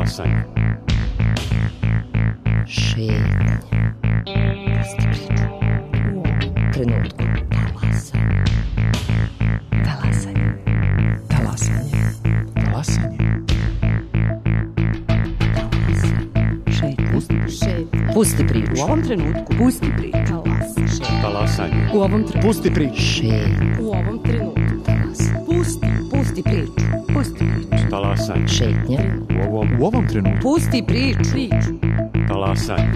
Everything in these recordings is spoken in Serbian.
Talasanje. Šetnja. Pusti priču. U ovom trenutku. Talasanje. Talasanje. Talasanje. Talasanje. Šetnja. Pusti priču. U ovom trenutku. Pusti priču. Talasanje. U ovom trenutku. Pusti priču. Šetnja. U ovom trenutku. Pusti priču. Pusti priču. Talasanje. Šetnja. U ovom trenutku. Pusti priču. Talasanje.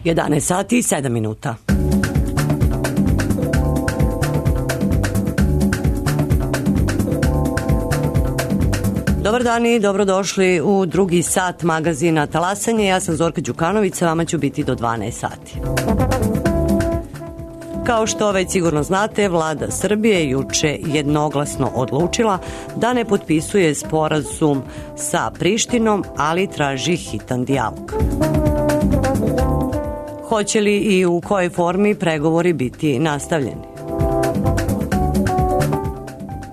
Jedanaest sati i 7 minuta. Dobar dan i dobrodošli u drugi sat magazina Talasanje. Ja sam Zorka Đukanović, sa vama ću biti do 12 sati. Kao što već sigurno znate, vlada Srbije juče jednoglasno odlučila da ne potpisuje sporazum sa Prištinom, ali traži hitan dijalog. Hoće li i u kojoj formi pregovori biti nastavljeni?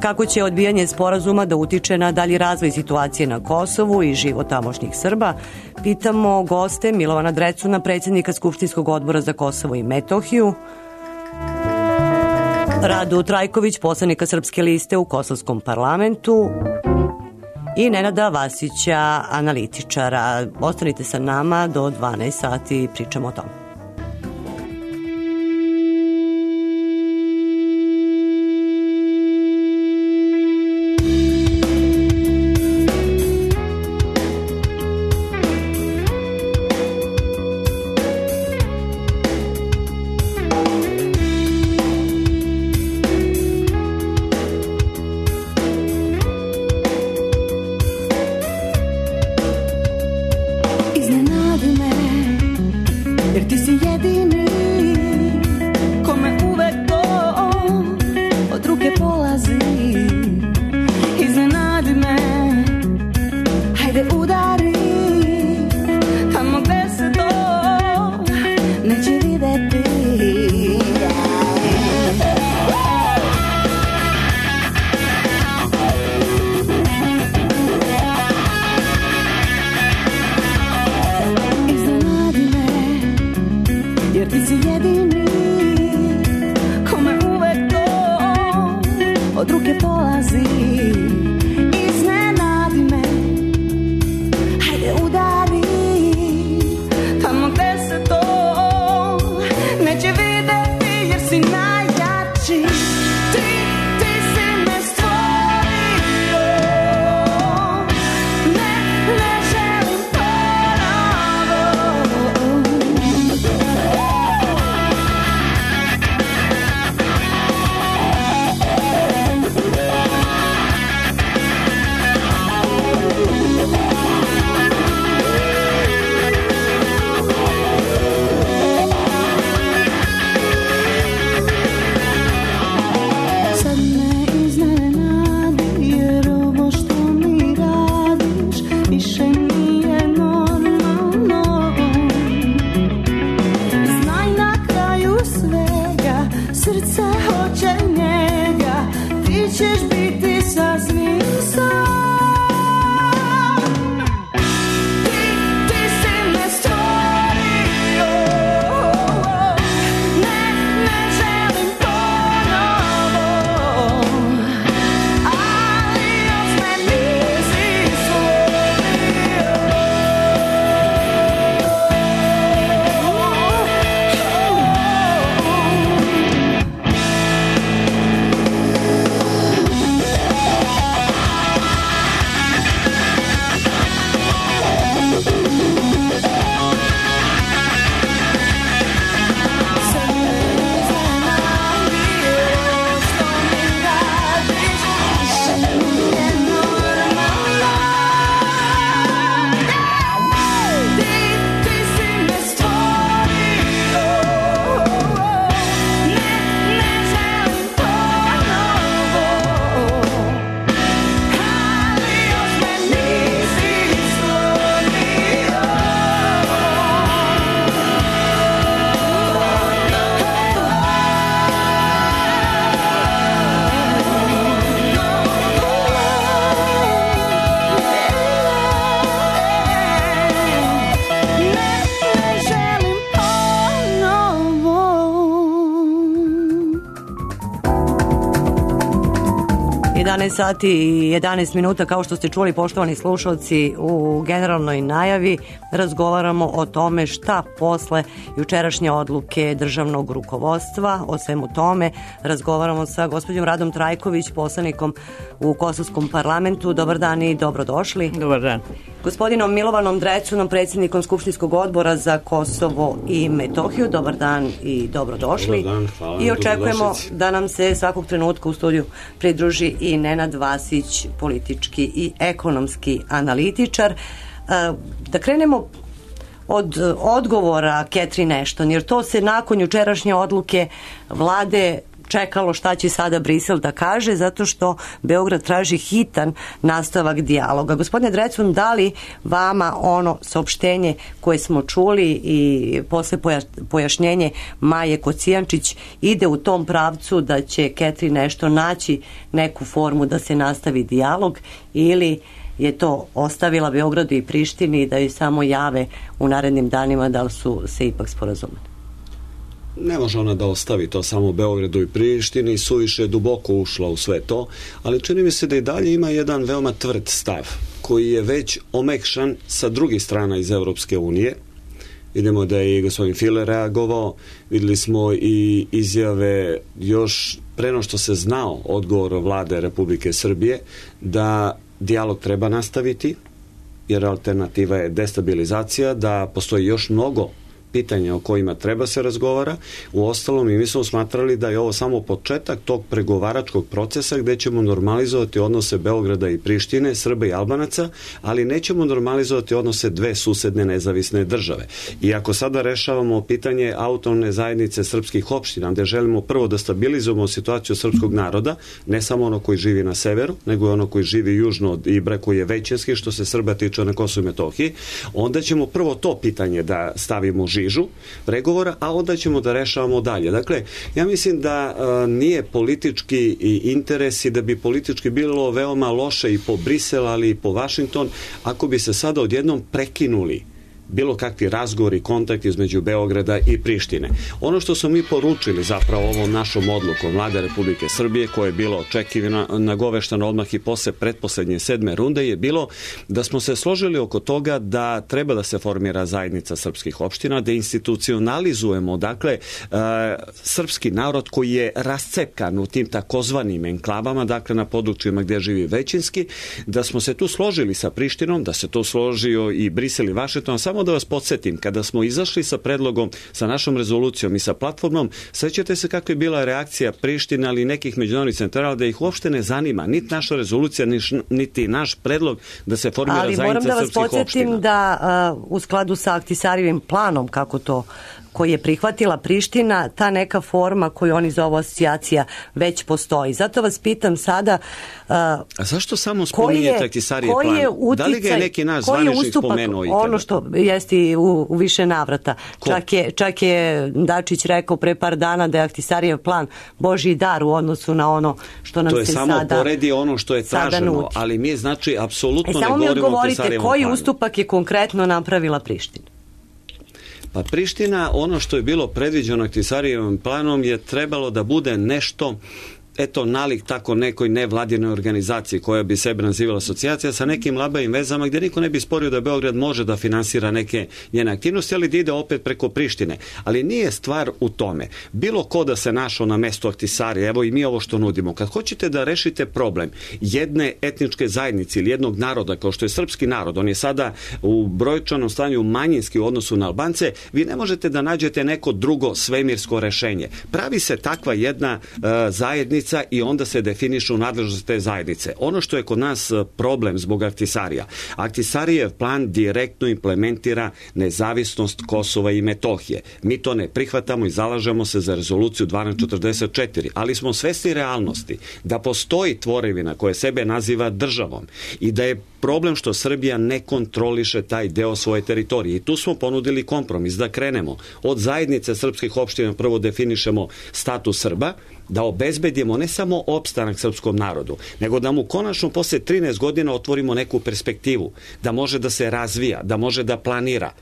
Kako će odbijanje sporazuma da utiče na dalji razvoj situacije na Kosovu i život tamošnjih Srba, pitamo goste Milovana Drecuna, predsjednika Skupštinskog odbora za Kosovo i Metohiju, Radu Trajković, poslanika Srpske liste u Kosovskom parlamentu i Nenada Vasića, analitičara. Ostanite sa nama do 12 sati i pričamo o tome. 11 sati i 11 minuta, kao što ste čuli, poštovani slušalci, u generalnoj najavi razgovaramo o tome šta posle jučerašnje odluke državnog rukovodstva, o svemu tome razgovaramo sa gospođom Radom Trajković, poslanikom u Kosovskom parlamentu. Dobar dan i dobrodošli. Dobar dan. Gospodinom Milovanom Drecunom, predsjednikom Skupštinskog odbora za Kosovo i Metohiju. Dobar dan i dobrodošli. Dobar dan, hvala. I očekujemo da nam se svakog trenutka u studiju pridruži i Nenad Vasić, politički i ekonomski analitičar. Da krenemo od odgovora Catherine Ashton, jer to se nakon jučerašnje odluke vlade čekalo šta će sada Brisel da kaže, zato što Beograd traži hitan nastavak dijaloga. Gospodine Drecun, da li vama ono saopštenje koje smo čuli i posle pojašnjenje Maje Kocijančić ide u tom pravcu da će Catherine Ashton naći neku formu da se nastavi dijalog, ili je to ostavila Beogradu i Prištini da joj samo jave u narednim danima da li su se ipak sporazumeli? Ne može ona da ostavi to samo Beogradu i Prištini, suviše je duboko ušla u sve to, ali čini mi se da i dalje ima jedan veoma tvrd stav koji je već omekšan sa drugih strana iz Evropske unije. Vidimo da je i gospodin File reagovao, videli smo i izjave još preno što se znao odgovor vlade Republike Srbije da dijalog treba nastaviti, jer alternativa je destabilizacija, da postoji još mnogo pitanja o kojima treba se razgovara. Uostalom, i mi smo smatrali da je ovo samo početak tog pregovaračkog procesa gde ćemo normalizovati odnose Beograda i Prištine, Srba i Albanaca, ali nećemo normalizovati odnose dve susedne nezavisne države. I ako sada rešavamo pitanje autonomne zajednice srpskih opština, gde želimo prvo da stabilizujemo situaciju srpskog naroda, ne samo ono koji živi na severu, nego i ono koji živi južno od Ibra, koji je većinski što se Srba tiče na Kosovu i Metohiji, onda ćemo prvo to pitanje da stavimo žižu pregovora, a onda ćemo da rešavamo dalje. Dakle, ja mislim da nije politički interes i da bi politički bilo veoma loše i po Brisel, ali i po Vašington, ako bi se sada odjednom prekinuli bilo kakvi razgovori, kontakti između Beograda i Prištine. Ono što smo mi poručili zapravo ovom našom odlukom vlade Republike Srbije, koja je bilo očekivana, nagoveštano odmah i posle pretposlednje 7. runde, je bilo da smo se složili oko toga da treba da se formira zajednica srpskih opština, da institucionalizujemo, dakle, srpski narod koji je rascepkan u tim takozvanim enklavama, dakle na područjima gdje živi većinski, da smo se tu složili sa Prištinom, da se to složio i Brisel i Vašington. Samo da vas podsjetim, kada smo izašli sa predlogom, sa našom rezolucijom i sa platformom, sećate se kako je bila reakcija Prištine, ali i nekih međunarodnih centara, da ih uopšte ne zanima niti naša rezolucija, niti naš predlog da se formira zajednica srpskih opština. Ali moram da vas podsjetim da u skladu sa Ahtisarijevim planom, koji je prihvatila Priština, ta neka forma koju oni zovu asocijacija već postoji. Zato vas pitam sada... A zašto samo spominjete Ahtisarijev plan? Da li ga je neki naš zvaničnik spomenuo ikada? Ono što jeste u više navrata. Čak je Dačić rekao pre par dana da je Ahtisarijev plan Božji dar u odnosu na ono što nam se sada... To je samo poredi ono što je traženo, ali mi znači apsolutno ne govorimo o Ahtisarijevom planu. Samo mi odgovorite, koji ustupak je konkretno napravila Priština? Pa Priština, ono što je bilo predviđeno Ahtisarijevim planom je trebalo da bude nešto, eto, nalik tako nekoj nevladinoj organizaciji koja bi sebe nazivala asocijacija sa nekim labavim vezama gdje niko ne bi sporio da Beograd može da finansira neke njene aktivnosti, ali da ide opet preko Prištine. Ali nije stvar u tome. Bilo ko da se našao na mestu Ahtisarija, evo i mi ovo što nudimo. Kad hoćete da rešite problem jedne etničke zajednice ili jednog naroda kao što je srpski narod, on je sada u brojčanom stanju manjinski u odnosu na Albance, vi ne možete da nađete neko drugo svemirsko rešenje. Pravi se takva jedna zajednica i onda se definišu nadležnosti te zajednice. Ono što je kod nas problem zbog Ahtisarija. Ahtisarijev plan direktno implementira nezavisnost Kosova i Metohije. Mi to ne prihvatamo i zalažemo se za rezoluciju 1244, ali smo svesni realnosti da postoji tvorevina koja sebe naziva državom i da je problem što Srbija ne kontroliše taj deo svoje teritorije. I tu smo ponudili kompromis da krenemo od zajednice srpskih opština, prvo definišemo status Srba, da obezbedimo ne samo opstanak srpskom narodu, nego da mu konačno posle 13 godina otvorimo neku perspektivu, da može da se razvija, da može da planira.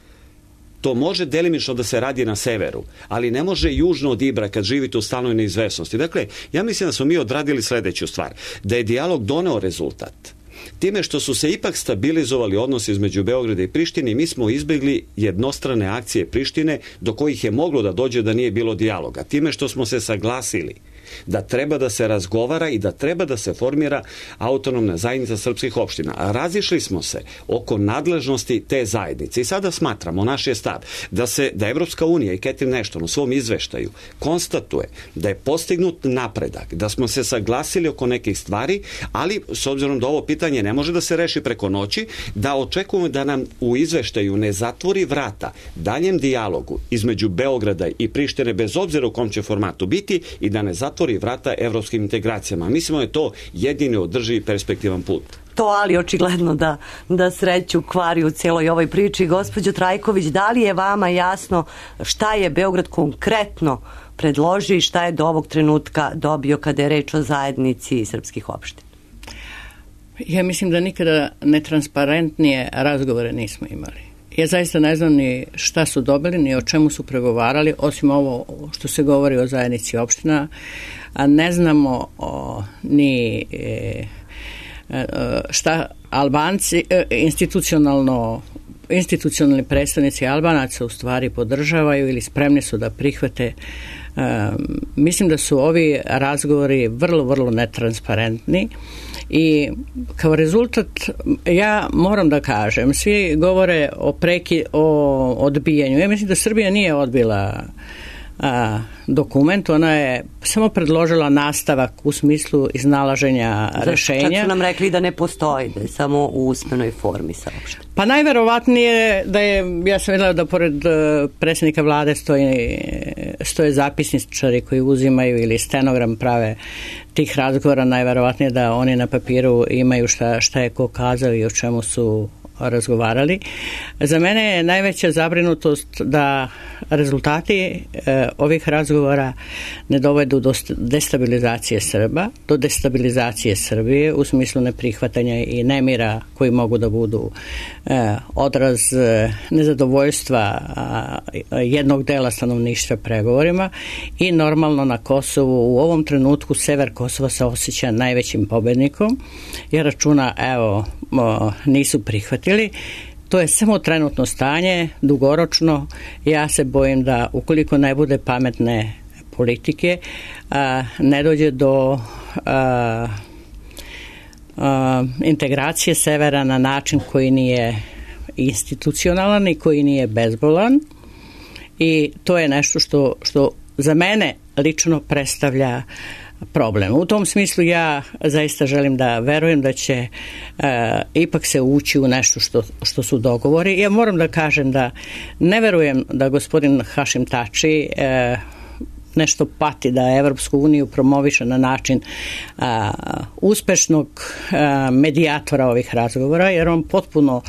To može delimično da se radi na severu, ali ne može južno od Ibra kad živite u stalnoj neizvesnosti. Dakle, ja mislim da smo mi odradili sledeću stvar, da je dijalog doneo rezultat. Time što su se ipak stabilizovali odnosi između Beograda i Prištine, mi smo izbjegli jednostrane akcije Prištine do kojih je moglo da dođe da nije bilo dijaloga. Time što smo se saglasili da treba da se razgovara i da treba da se formira autonomna zajednica srpskih opština. A razišli smo se oko nadležnosti te zajednice i sada smatramo, naš je stav, da Evropska unija i Catherine Ashton u svom izveštaju konstatuje da je postignut napredak, da smo se saglasili oko nekih stvari, ali s obzirom da ovo pitanje ne može da se reši preko noći, da očekujemo da nam u izveštaju ne zatvori vrata daljem dijalogu između Beograda i Prištine, bez obzira u kom će formatu biti, i da ne zatvori vrata evropskim integracijama. Mislimo da je to jedini održivi perspektivan put. To ali očigledno da sreću kvari u celoj ovoj priči. Gospođo Trajković, da li je vama jasno šta je Beograd konkretno predložio i šta je do ovog trenutka dobio kada je reč o zajednici srpskih opština? Ja mislim da nikada netransparentnije razgovore nismo imali. Ja zaista ne znam ni šta su dobili, ni o čemu su pregovarali, osim ovo što se govori o zajednici opština, a ne znamo ni šta Albanci, institucionalni predstavnici Albanaca u stvari podržavaju ili spremni su da prihvate. Mislim da su ovi razgovori vrlo, vrlo netransparentni i kao rezultat, ja moram da kažem, svi govore o odbijanju. Ja mislim da Srbija nije odbila dokument, ona je samo predložila nastavak u smislu iznalaženja rešenja. Čak su nam rekli da ne postoji, da je samo u usmenoj formi saopšteno. Pa najverovatnije da je, ja sam videla da pored predsjednika vlade stoje zapisničari koji uzimaju ili stenogram prave tih razgovora, najverovatnije da oni na papiru imaju šta je ko kazao i o čemu su razgovarali. Za mene je najveća zabrinutost da rezultati ovih razgovora ne dovedu do destabilizacije Srba, do destabilizacije Srbije u smislu neprihvatanja i nemira koji mogu da budu odraz nezadovoljstva jednog dela stanovništva pregovorima i normalno na Kosovu u ovom trenutku sever Kosova se osjeća najvećim pobednikom jer računa nisu prihvatili. To je samo trenutno stanje, dugoročno. Ja se bojim da ukoliko ne bude pametne politike, ne dođe do integracije severa na način koji nije institucionalan i koji nije bezbolan. I to je nešto što za mene lično predstavlja problem. U tom smislu ja zaista želim da verujem da će ipak se ući u nešto što su dogovori. Ja moram da kažem da ne verujem da gospodin Hašim Tači nešto pati da Evropsku uniju promoviše na način uspešnog medijatora ovih razgovora, jer on potpuno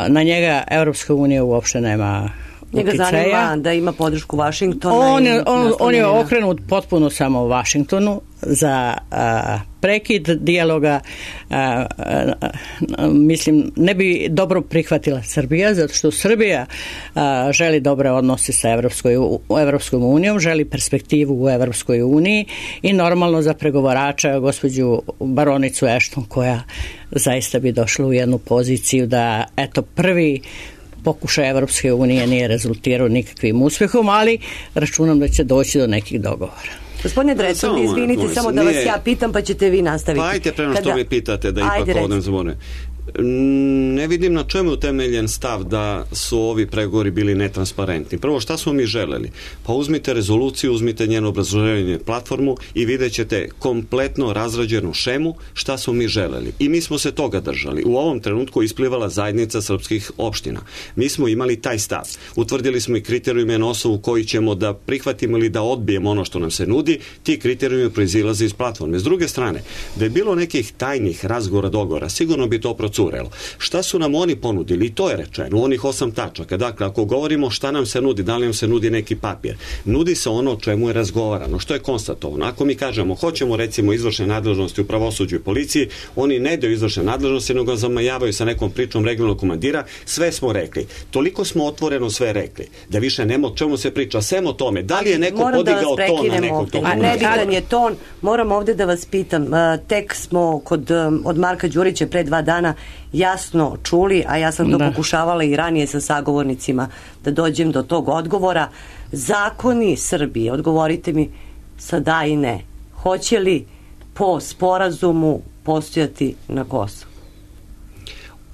na njega Evropska unija uopšte nema njega zanima da ima podršku Vašingtona. On je okrenut potpuno samo Vašingtonu za prekid dijaloga. Mislim, ne bi dobro prihvatila Srbija, zato što Srbija želi dobre odnose sa Evropskom unijom, želi perspektivu u Evropskoj uniji i normalno za pregovarača gospođu baronicu Ashton, koja zaista bi došla u jednu poziciju da prvi pokušaj Evropske unije nije rezultirao nikakvim uspehom, ali računam da će doći do nekih dogovora. Gospodine Drecun, izvinite, samo da vas ja pitam, pa ćete vi nastaviti. Pa ajte prema što mi pitate, da ipak odem zbore. Ne vidim na čemu je utemeljen stav da su ovi pregovori bili netransparentni. Prvo, šta smo mi želeli? Pa uzmite rezoluciju, uzmite njeno obrazloženje platformu i vidjet ćete kompletno razrađenu šemu šta smo mi želeli. I mi smo se toga držali. U ovom trenutku isplivala zajednica srpskih opština. Mi smo imali taj stav. Utvrdili smo i kriterijume na osnovu koji ćemo da prihvatimo ili da odbijemo ono što nam se nudi. Ti kriterijumi proizilaze iz platforme. S druge strane, da je bilo nekih tajnih razgovora, dogovora, sigurno bi to procesuirano procurelo. Šta su nam oni ponudili? I to je rečeno, onih 8 tačaka. Dakle, ako govorimo šta nam se nudi, da li nam se nudi neki papir, nudi se ono o čemu je razgovarano, što je konstatovano. Ako mi kažemo, hoćemo recimo izvršne nadležnosti u pravosuđu i policiji, oni ne daju izvršne nadležnosti, nego zamajavaju sa nekom pričom regionalnog komandira, sve smo rekli. Toliko smo otvoreno sve rekli, da više nema o čemu se priča, sem o tome. Da li je neko podigao ton na nekog tog? A nebitan je ton. Moram ovde da vas pitam, tek smo od Marka Đurića pre 2 dana jasno čuli, a ja sam to pokušavala i ranije sa sagovornicima da dođem do tog odgovora. Zakoni Srbije, odgovorite mi sa da i ne, hoće li po sporazumu postojati na Kosovu?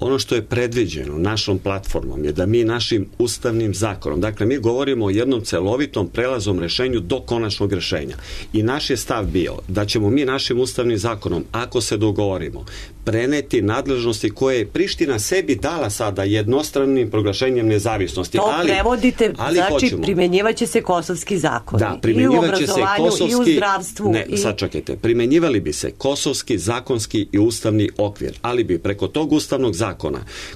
Ono što je predviđeno našom platformom je da mi našim ustavnim zakonom, dakle mi govorimo o jednom celovitom prelaznom rešenju do konačnog rešenja. I naš je stav bio da ćemo mi našim ustavnim zakonom, ako se dogovorimo, preneti nadležnosti koje je Priština sebi dala sada jednostranim proglašenjem nezavisnosti. To prevodite, znači primjenjivaće se kosovski zakon. Da, primjenjivaće se kosovski, i u zdravstvu. Ne, sad čekajte, primjenjivali bi se kosovski, zakonski i ustavni okvir, ali bi preko tog ustavnog zakona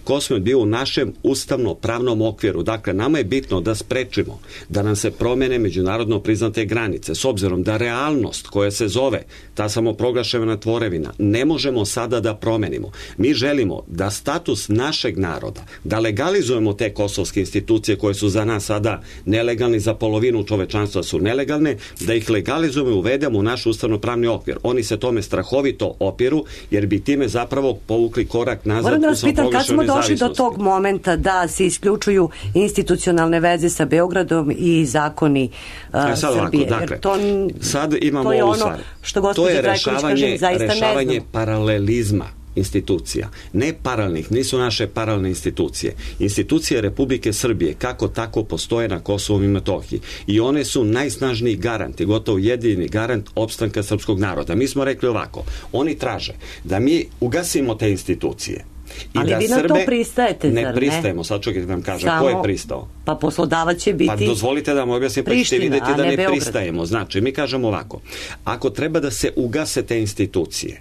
Kosovo je bio u našem ustavno-pravnom okviru. Dakle, nama je bitno da sprečimo da nam se promene međunarodno priznate granice, s obzirom da realnost koja se zove ta samoproglašena tvorevina ne možemo sada da promenimo. Mi želimo da status našeg naroda, da legalizujemo te kosovske institucije koje su za nas sada nelegalni, za polovinu čovečanstva su nelegalne, da ih legalizujemo i uvedemo u naš ustavno-pravni okvir. Oni se tome strahovito opiru, jer bi time zapravo povukli korak nazad u pitam, kad smo došli do tog momenta da se isključuju institucionalne veze sa Beogradom i zakoni Srbije? Dakle, sad imamo ovu stvar. To je rešavanje paralelizma institucija. Ne paralelnih, nisu naše paralelne institucije. Institucije Republike Srbije kako tako postoje na Kosovu i Metohiji. I one su najsnažniji garant i gotovo jedini garant opstanka srpskog naroda. Mi smo rekli ovako, oni traže da mi ugasimo te institucije. Ali vi na to pristajete, zar ne? Ne pristajemo, sad čekajte da vam kažem, ko je pristao? Pa poslodavac će biti Pa dozvolite da vam objasnim, pa ćete vidjeti da ne pristajemo. Znači, mi kažemo ovako, ako treba da se ugase te institucije,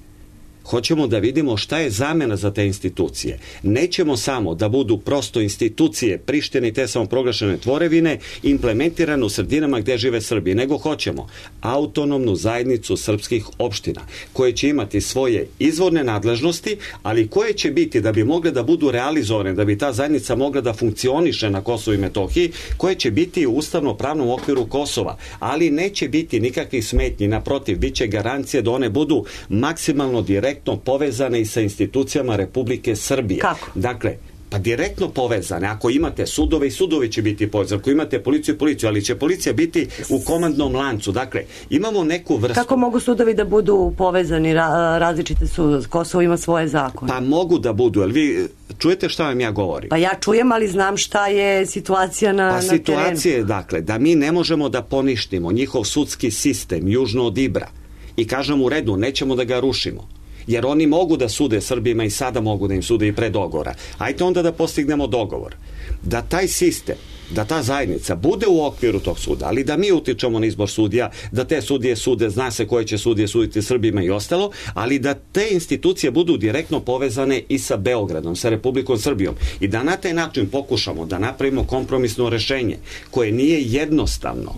hoćemo da vidimo šta je zamena za te institucije. Nećemo samo da budu prosto institucije Prištine i te samoproglašene tvorevine implementirane u sredinama gde žive Srbi, nego hoćemo autonomnu zajednicu srpskih opština koje će imati svoje izvorne nadležnosti, ali koje će biti, da bi mogle da budu realizovane, da bi ta zajednica mogla da funkcioniše na Kosovu i Metohiji, koje će biti u ustavno-pravnom okviru Kosova, ali neće biti nikakvih smetnji, naprotiv, bit će garancije da one budu maksimalno direktno povezane i sa institucijama Republike Srbije. Kako? Dakle, pa direktno povezane. Ako imate sudove, i sudovi će biti povezani. Ako imate policiju, ali će policija biti u komandnom lancu. Dakle, imamo neku vrstu... Kako mogu sudovi da budu povezani? Različite su, Kosovo ima svoje zakone. Pa mogu da budu, ali vi čujete šta vam ja govorim? Pa ja čujem, ali znam šta je situacija na terenu. Pa situacija je, dakle, da mi ne možemo da poništimo njihov sudski sistem južno od Ibra i kažemo u redu, nećemo da ga rušimo. Jer oni mogu da sude Srbima i sada mogu da im sude i pre dogovora. Ajde onda da postignemo dogovor. Da taj sistem, da ta zajednica bude u okviru tog suda, ali da mi utičemo na izbor sudija, da te sudije sude, zna se koje će sudije suditi Srbima i ostalo, ali da te institucije budu direktno povezane i sa Beogradom, sa Republikom Srbijom i da na taj način pokušamo da napravimo kompromisno rešenje koje nije jednostavno,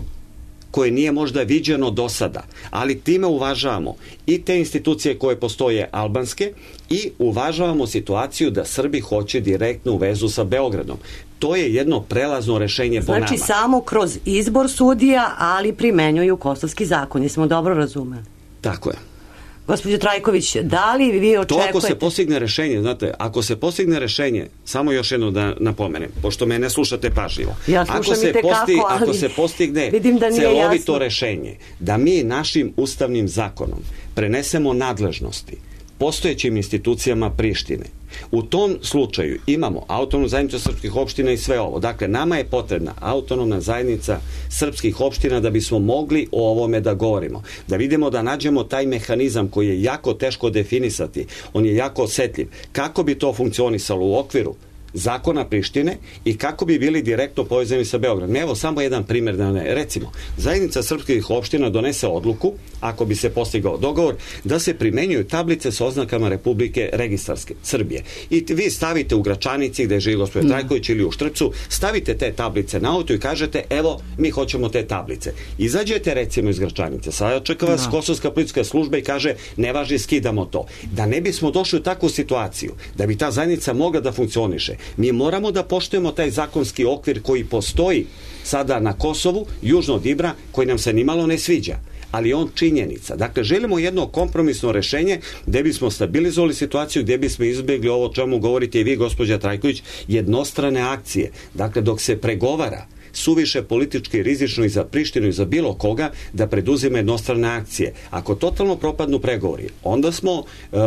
koje nije možda viđeno do sada, ali time uvažavamo i te institucije koje postoje albanske i uvažavamo situaciju da Srbi hoće direktnu vezu sa Beogradom. To je jedno prelazno rešenje po nama. Znači samo kroz izbor sudija, ali primenjuju kosovski zakon. Jesmo dobro razumeli? Tako je. Gospođo Trajković, da li vi očekujete... To ako se postigne rešenje, znate, ako se postigne rešenje, samo još jedno da napomenem, pošto me ne slušate pažljivo. Ja slušam i tekako, ali ako se postigne celovito rešenje, da mi našim ustavnim zakonom prenesemo nadležnosti postojećim institucijama Prištine. U tom slučaju imamo autonomnu zajednicu srpskih opština i sve ovo. Dakle, nama je potrebna autonomna zajednica srpskih opština da bismo mogli o ovome da govorimo. Da vidimo, da nađemo taj mehanizam koji je jako teško definisati. On je jako osetljiv. Kako bi to funkcionisalo u okviru zakona Prištine i kako bi bili direktno povezani sa Beogradom. Evo samo jedan primjer da ne. Recimo, zajednica srpskih opština donese odluku, ako bi se postigao dogovor, da se primenjuju tablice sa oznakama Republike registarske Srbije. I vi stavite u Gračanici gde živi gospodin Trajković ili u Štrpcu, stavite te tablice na auto i kažete evo mi hoćemo te tablice. Izađete recimo iz Gračanice, sada čeka vas kosovska policijska služba i kaže ne važi, skidamo to. Da ne bismo došli u takvu situaciju, da bi ta zajednica mogla da funkcioniše, mi moramo da poštujemo taj zakonski okvir koji postoji sada na Kosovu, južno od Ibra, koji nam se nimalo ne sviđa, ali on činjenica. Dakle, želimo jedno kompromisno rešenje gde bismo stabilizovali situaciju, gde bismo izbjegli ovo o čemu govorite i vi, gospođa Trajković, jednostrane akcije. Dakle, dok se pregovara, suviše politički rizično i za Prištinu i za bilo koga da preduzime jednostrane akcije. Ako totalno propadnu pregovori, onda smo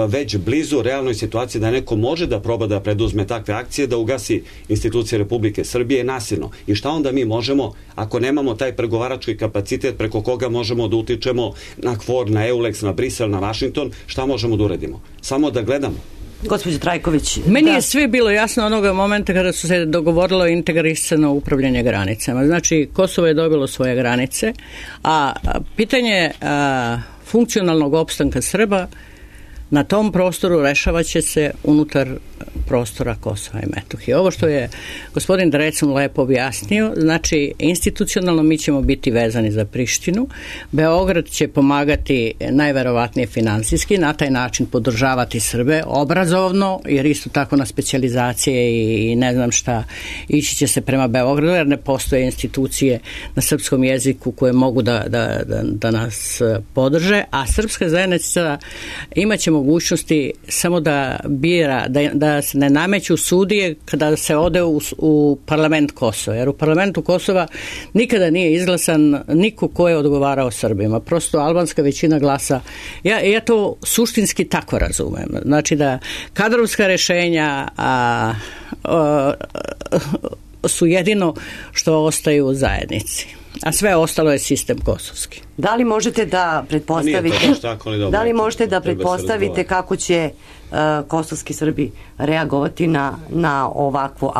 već blizu realnoj situaciji da neko može da proba da preduzme takve akcije, da ugasi institucije Republike Srbije nasilno. I šta onda mi možemo, ako nemamo taj pregovarački kapacitet preko koga možemo da utičemo na KFOR, na EULEX, na Brisel, na Vašington, šta možemo da uradimo? Samo da gledamo. Gospođo Trajković. Meni je sve bilo jasno onoga momenta kada su se dogovorilo integrisano upravljanje granicama. Znači, Kosovo je dobilo svoje granice, a pitanje funkcionalnog opstanka Srba na tom prostoru rešavat će se unutar prostora Kosova i Metohije. Ovo što je gospodin Drecun lepo objasnio, znači institucionalno mi ćemo biti vezani za Prištinu, Beograd će pomagati najverovatnije finansijski, na taj način podržavati Srbe, obrazovno, jer isto tako na specijalizacije i ne znam šta, ići će se prema Beogradu, jer ne postoje institucije na srpskom jeziku koje mogu da nas podrže, a srpska zajednica imaće mogućnosti samo da bira, da se ne nameću sudije kada se ode u parlament Kosova. Jer u parlamentu Kosova nikada nije izglasan niko ko je odgovarao Srbima. Prosto albanska većina glasa. Ja to suštinski tako razumem. Znači da kadrovska rešenja su jedino što ostaju u zajednici. A sve ostalo je sistem kosovski. Da li možete da pretpostavite kako će kosovski Srbi reagovati na ovakvo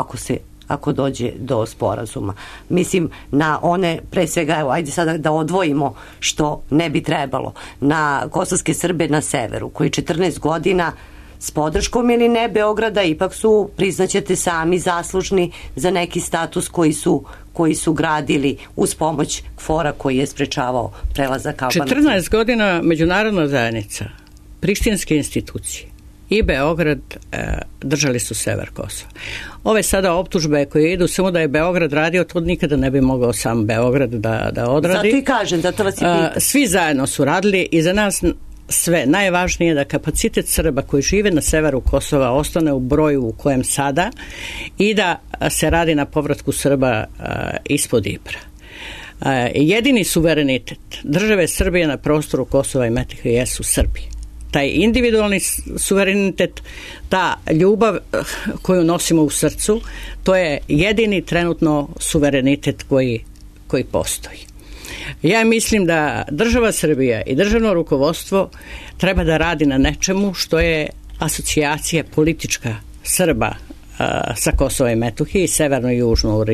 ako dođe do sporazuma? Mislim, na one, pre svega, evo, ajde sada da odvojimo što ne bi trebalo, na kosovske Srbe na severu, koji 14 godina s podrškom ili ne Beograda ipak su, priznaćete sami, zaslužni za neki status koji su gradili uz pomoć KFOR-a koji je sprečavao prelazak Albanaca. 14 godina međunarodna zajednica, prištinske institucije i Beograd držali su sever Kosova. Ove sada optužbe koje idu, samo da je Beograd radio, to nikada ne bi mogao sam Beograd da odradi. Zato i kažem, zato vas i pitam. Svi zajedno su radili i za nas sve. Najvažnije je da kapacitet Srba koji žive na severu Kosova ostane u broju u kojem sada i da se radi na povratku Srba ispod Ibra. Jedini suverenitet države Srbije na prostoru Kosova i Metohije jesu Srbi. Taj individualni suverenitet, ta ljubav koju nosimo u srcu, to je jedini trenutno suverenitet koji postoji. Ja mislim da država Srbija i državno rukovodstvo treba da radi na nečemu što je asocijacija politička Srba sa Kosova i Metohije i severno i južno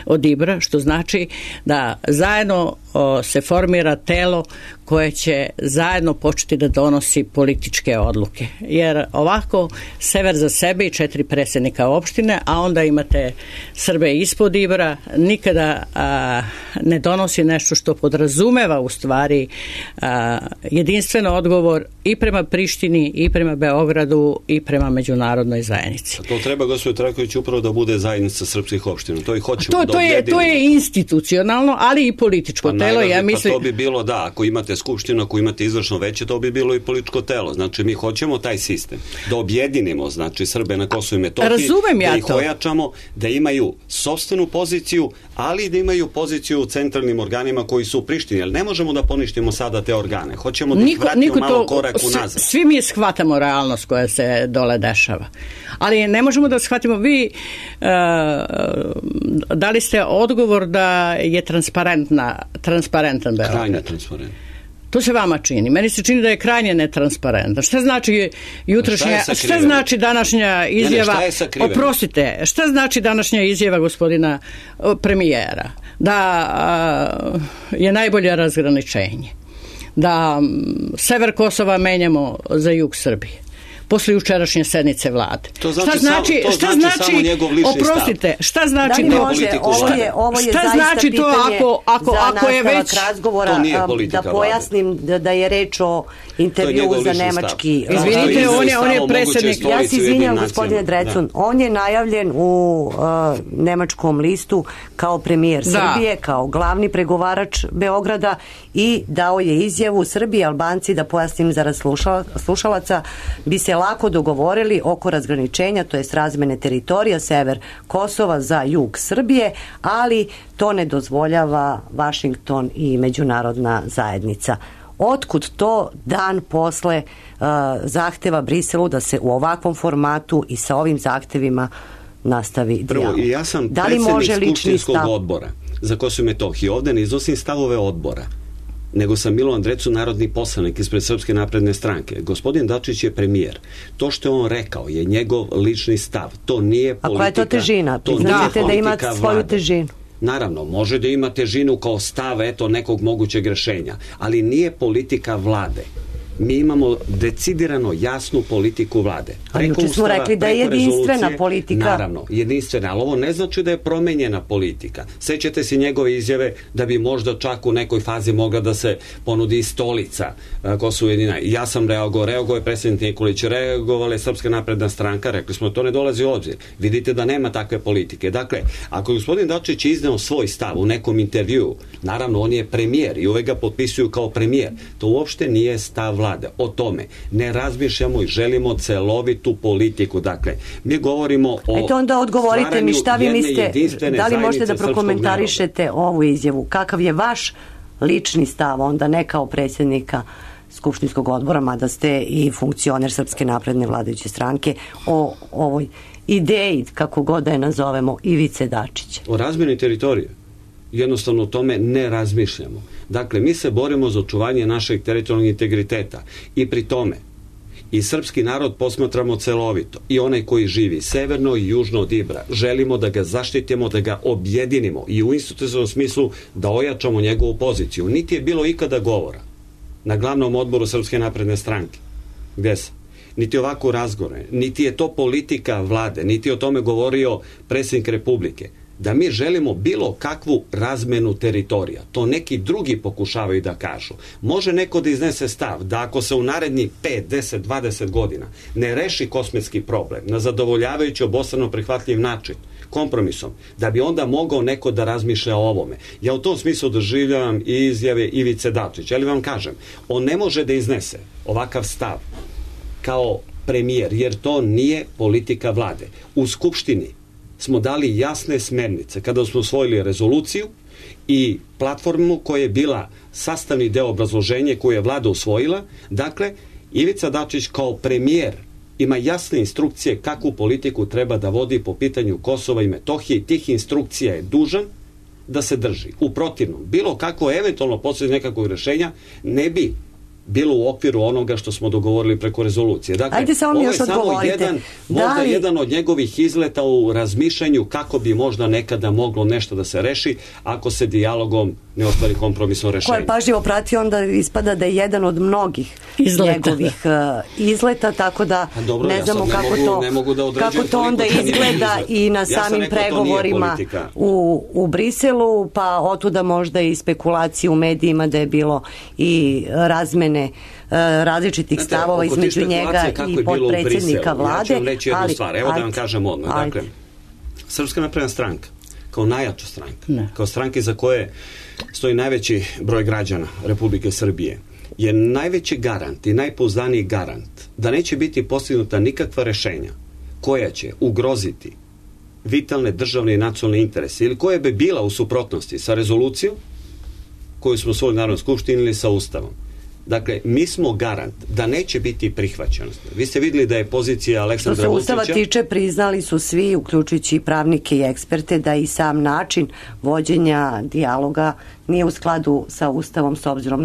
od Ibra, što znači da zajedno se formira telo koje će zajedno početi da donosi političke odluke. Jer ovako sever za sebe i 4 predsjednika opštine, a onda imate Srbe ispod Ibra, nikada ne donosi nešto što podrazumeva u stvari jedinstven odgovor i prema Prištini, i prema Beogradu, i prema međunarodnoj zajednici. A to treba, gospodin Trajković, upravo da bude zajednica srpskih opština. To i hoćemo da objedinimo. To je institucionalno, ali i političko telo. Ja mislim... To bi bilo, da, ako imate skupštinu, ako imate izvršno veće, to bi bilo i političko telo. Znači, mi hoćemo taj sistem da objedinimo, znači, Srbe na Kosovu i Metohiji, da ih ojačamo, da imaju sopstvenu poziciju, ali da imaju poziciju u centralnim organima koji su u Prištini. Jer ne možemo da poništimo sada te organe. Hoćemo da ih vratimo malo korak unazad. Svi mi shvatamo realnost koja se dole dešava. Ali ne možemo da shvatimo. Vi dali ste odgovor da je transparentan Beograd. Krajnje transparentno. To se vama čini. Meni se čini da je krajnje netransparentno. Šta znači šta znači današnja izjava? Oprostite, šta znači današnja izjava gospodina premijera? Da je najbolje razgraničenje. Da sever Kosova menjamo za jug Srbije. Posle jučerašnje sednice vlade. Šta znači samo njegov lični stav? Oprostite, šta znači to? Ovo je zaista pitanje za nastavak razgovora. Da pojasnim da je reč o intervju za nemački. Izvinite, on je predsjednik. Ja se izvinjam, gospodine Drecun. On je najavljen u nemačkom listu kao premijer Srbije, kao glavni pregovarač Beograda i dao je izjavu Srbiji i Albanci, da pojasnim zarad slušalaca, bi se lako dogovorili oko razgraničenja, to jest razmene teritorija sever Kosova za jug Srbije, ali to ne dozvoljava Vašington i međunarodna zajednica. Otkud to dan posle zahteva Briselu da se u ovakvom formatu i sa ovim zahtevima nastavi dijalog? Prvo, ja sam predsjednik Skupštinskog odbora za Kosovo i Metohiju. Ovde ne iznosim stavove odbora, nego sam Milovan Drecun, narodni poslanik ispred Srpske napredne stranke. Gospodin Dačić je premijer. To što je on rekao je njegov lični stav. To nije politika. A koja je to težina? Priznajte da ima svoju težinu. Naravno, može da ima težinu kao stav nekog mogućeg rešenja, ali nije politika vlade. Mi imamo decidirano jasnu politiku vlade. Ali juče smo rekli da je jedinstvena politika. Naravno, jedinstvena, ali ovo ne znači da je promenjena politika. Sećate se njegove izjave da bi možda čak u nekoj fazi mogla da se ponudi stolica Kosovo jedina. Ja sam reagovao je predsjednik Nikolić, reagovala je Srpska napredna stranka, rekli smo to ne dolazi u obzir. Vidite da nema takve politike. Dakle, ako je gospodin Dačić izneo svoj stav u nekom intervjuu, naravno on je premijer i uvek ga potpisuju kao premijer. To uopšte nije stav vlade. O tome ne razmišljamo i želimo celovitu politiku. Dakle, mi govorimo o Eto onda odgovorite mi šta vi mislite, da li možete da prokomentarišete ovu izjavu? Kakav je vaš lični stav, onda ne kao predsjednika Skupštinskog odbora, mada ste i funkcioner Srpske napredne vladajuće stranke, o ovoj ideji, kako god da je nazovemo, Ivice Dačića? O razmjeni teritorije. Jednostavno o tome ne razmišljamo. Dakle, mi se borimo za očuvanje našeg teritorijalnog integriteta i pri tome i srpski narod posmatramo celovito i onaj koji živi severno i južno od Ibra. Želimo da ga zaštitimo, da ga objedinimo i u institucionalnom smislu da ojačamo njegovu poziciju. Niti je bilo ikada govora na glavnom odboru Srpske napredne stranke. Gde sam? Niti ovako razgovore, niti je to politika vlade, niti o tome govorio predsjednik Republike, da mi želimo bilo kakvu razmenu teritorija. To neki drugi pokušavaju da kažu. Može neko da iznese stav da ako se u narednih 5, 10, 20 godina ne reši kosmetski problem na zadovoljavajući obostrano prihvatljiv način, kompromisom, da bi onda mogao neko da razmišlja o ovome. Ja u tom smislu doživljavam i izjave Ivice Dačića, ali vam kažem, on ne može da iznese ovakav stav kao premijer, jer to nije politika vlade. U Skupštini smo dali jasne smernice kada smo usvojili rezoluciju i platformu koja je bila sastavni deo obrazloženja koju je vlada usvojila. Dakle, Ivica Dačić kao premijer ima jasne instrukcije kakvu politiku treba da vodi po pitanju Kosova i Metohije i tih instrukcija je dužan da se drži. U protivnom, bilo kako eventualno posljednje nekakvog rešenja ne bi bilo u okviru onoga što smo dogovorili preko rezolucije. Dakle, ajde samo mi još odgovorite. Možda jedan od njegovih izleta u razmišljanju kako bi možda nekada moglo nešto da se reši ako se dijalogom ne ostvari kompromisno rešenje. Ko je pažljivo pratio, onda ispada da je jedan od mnogih njegovih izleta, tako da dobro, ne znamo kako to onda izgleda i na samim pregovorima u Briselu, pa otuda možda i spekulacije u medijima da je bilo i razmene različitih stavova između njega i potpredsjednika vlade. Ja ću vam reći jednu stvar, evo da vam kažem odmah. Dakle, Srpska napredna stranka kao najjača stranka, kao stranke za koje stoji najveći broj građana Republike Srbije, je najveći garant i najpouzdaniji garant da neće biti postignuta nikakva rešenja koja će ugroziti vitalne državne i nacionalne interese ili koja bi bila u suprotnosti sa rezolucijom koju smo usvojili u Narodnoj skupštini ili sa Ustavom. Dakle, mi smo garant da neće biti prihvaćenost. Vi ste vidjeli da je pozicija Aleksandra Vučića... Što se Ustava tiče, priznali su svi, uključujući i pravnike i eksperte, da i sam način vođenja dijaloga nije u skladu sa Ustavom s obzirom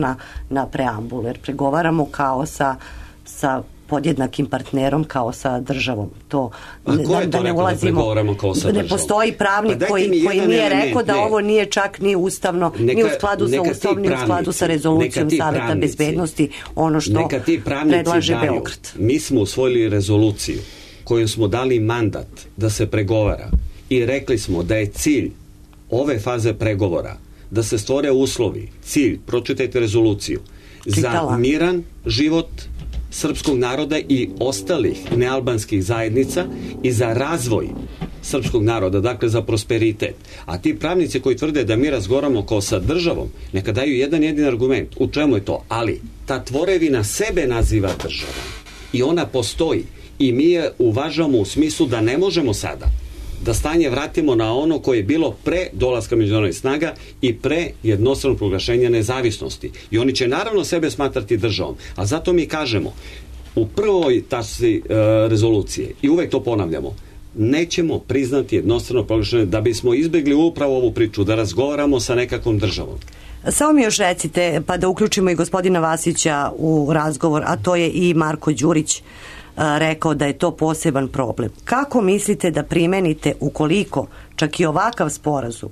na preambulu, jer pregovaramo kao sa podjednakim partnerom kao sa državom. To, ko je to rekao da pregovaramo kao sa državom? Ne postoji pravnik koji nije rekao da ovo nije čak ni ustavno, ni u skladu sa Ustavom, ni u skladu sa rezolucijom Saveta bezbednosti, ono što predlaže Beograd. Mi smo usvojili rezoluciju kojom smo dali mandat da se pregovara i rekli smo da je cilj ove faze pregovora da se stvore uslovi, cilj, pročitajte rezoluciju, za miran život srpskog naroda i ostalih nealbanskih zajednica i za razvoj srpskog naroda, dakle za prosperitet. A ti pravnici koji tvrde da mi razgovaramo kao sa državom, neka daju jedan jedin argument. U čemu je to? Ali ta tvorevina sebe naziva državom i ona postoji i mi je uvažamo u smislu da ne možemo sada da stanje vratimo na ono koje je bilo pre dolaska međunarodnih snaga i pre jednostranog proglašenja nezavisnosti. I oni će naravno sebe smatrati državom. A zato mi kažemo, u prvoj tačci rezolucije, i uvek to ponavljamo, nećemo priznati jednostrano proglašenje da bismo izbjegli upravo ovu priču, da razgovaramo sa nekakvom državom. Samo mi još recite, pa da uključimo i gospodina Vasića u razgovor, a to je i Marko Đurić rekao da je to poseban problem. Kako mislite da primenite ukoliko čak i ovakav sporazum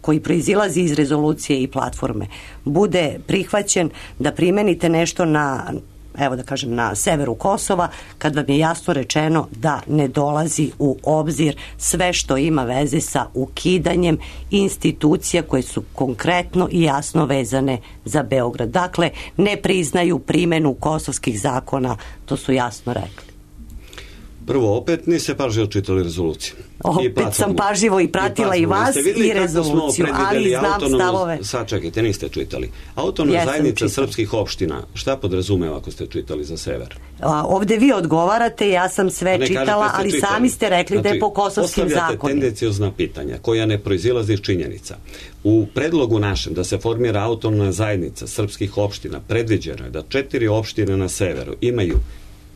koji proizilazi iz rezolucije i platforme bude prihvaćen, da primenite nešto na severu Kosova, kad vam je jasno rečeno da ne dolazi u obzir sve što ima veze sa ukidanjem institucija koje su konkretno i jasno vezane za Beograd. Dakle, ne priznaju primenu kosovskih zakona, to su jasno rekli. Prvo, opet niste pažljivo čitali rezoluciju. Opet sam pažljivo i pratila i vas i rezoluciju, ali znam stavove. Sad čekajte, niste čitali. Autonomna zajednica srpskih opština, šta podrazumeva ako ste čitali za sever? Ovde vi odgovarate, ja sam sve čitala, ali sami ste rekli da je po kosovskim zakonima. Postavljate tendenciozna pitanja koja ne proizilaze iz činjenica. U predlogu našem da se formira autonomna zajednica srpskih opština predviđeno je da 4 opštine na severu imaju